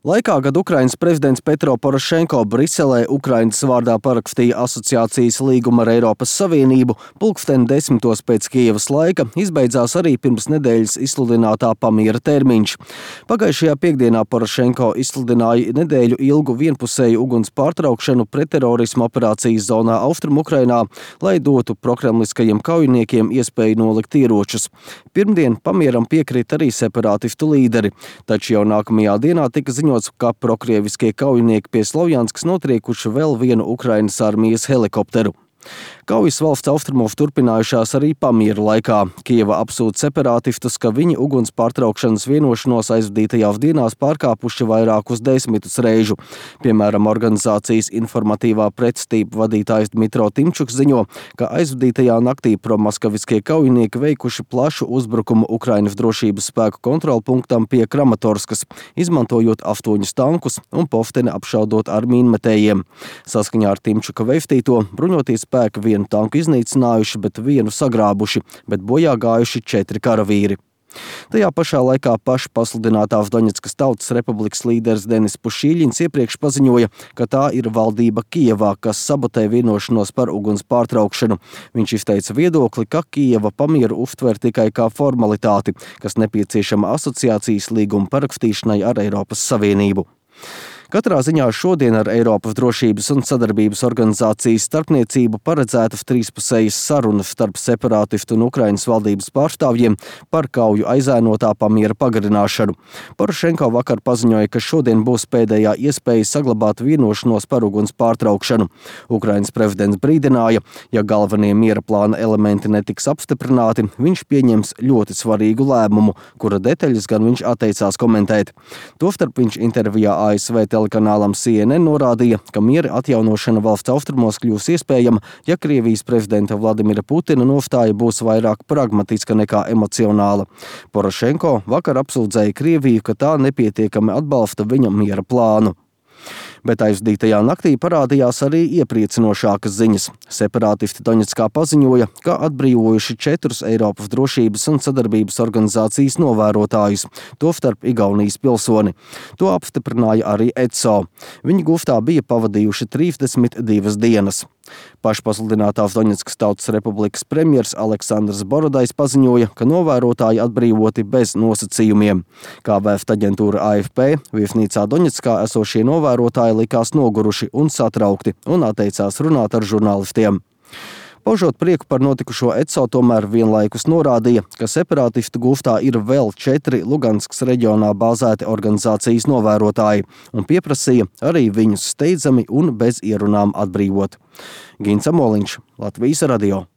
Laikā, kad Ukrainas prezidents Petro Porošenko Briselē Ukrainas vārdā parakstīja asociācijas līgumu ar Eiropas Savienību, pulksteni 10 pēc Kijevas laika izbeidzās arī pirms nedēļas izsludinātā pamiera termiņš. Pagājušajā piekdienā Porošenko izsludināja nedēļu ilgu vienpusēju uguns pārtraukšanu pretterorisma operācijas zonā Austrumukrainā, lai dotu prokremliskajiem kaujiniekiem iespēju nolikt ieročus. Pirmdien pamieram piekrita arī separātistu līderi, taču jau nākamajā dienā tika ziņots, ka prokrieviskie kaujinieki pie Slovjanskas notriekuši vēl vienu Ukrainas armijas helikopteru. Kaujas valsts austrumos turpinājušās arī pamiera laikā. Kijeva apsūdz separātistus, ka viņi uguns pārtraukšanas vienošanos aizvadītajās dienās pārkāpuši vairākus desmitus reižu. Piemēram, organizācijas informatīvā pretstība vadītājs Dmitro Timčuks ziņo, ka aizvadītajā naktī promaskaviskie kaujinieki veikuši plašu uzbrukumu Ukrainas drošības spēku kontrolpunktam pie Kramatorskas, izmantojot 8 tankus un pofteni apšaudot ar mīnmetējiem. Saskaņā ar Timčuka veistīto, bruņotie spēki vienu tanku iznīcinājuši, bet vienu sagrābuši, bet bojā gājuši 4 karavīri. Tajā pašā laikā paša pasludinātās Doņetskas Tautas Republikas līderis Denis Pušīļins iepriekš paziņoja, ka tā ir valdība Kijevā, kas sabotē vienošanos par uguns pārtraukšanu. Viņš izteica viedokli, ka Kijeva pamieru uztver tikai kā formalitāti, kas nepieciešama asociācijas līguma parakstīšanai ar Eiropas Savienību. Katrā ziņā šodien ar Eiropas drošības un sadarbības organizācijas starpniecību paredzētas trīspusējas sarunas starp separātistu un Ukrainas valdības pārstāvjiem par kauju aizēnotā pamiera pagarināšanu. Porošenko vakar paziņoja, ka šodien būs pēdējā iespēja saglabāt vienošanos par uguns pārtraukšanu. Ukrainas prezidents brīdināja, ja galvenie miera plāna elementi netiks apstiprināti, viņš pieņems ļoti svarīgu lēmumu, kura detaļas gan viņš atteicās komentēt. Tostarp viņš intervijā ASV telekanālam CNN norādīja, ka miera atjaunošana valsts austrumos kļūs iespējama, ja Krievijas prezidenta Vladimira Putina nostāja būs vairāk pragmatiska nekā emocionāla. Porošenko vakar apsūdzēja Krieviju, ka tā nepietiekami atbalsta viņa miera plānu. Bet aizvadītajā naktī parādījās arī iepriecinošākas ziņas. Separātisti Doņetskā paziņoja, ka atbrīvojuši 4 Eiropas drošības un sadarbības organizācijas novērotājus, tostarp Igaunijas pilsoni. To apstiprināja arī ECO. Viņi gūstā bija pavadījuši 32 dienas. Pašpasludinātās Doņetskas Tautas Republikas premjers Aleksandrs Borodais paziņoja, ka novērotāji atbrīvoti bez nosacījumiem. Kā vēsta aģentūra AFP, viesnīcā Doņetskā esošie novērotāji likās noguruši un satraukti un atteicās runāt ar žurnālistiem. Paužot prieku par notikušo ECO, tomēr vienlaikus norādīja, ka separātistu gūstā ir vēl 4 Luganskas reģionā bāzēti organizācijas novērotāji un pieprasīja arī viņus steidzami un bez ierunām atbrīvot. Gins Amoliņš, Latvijas radio.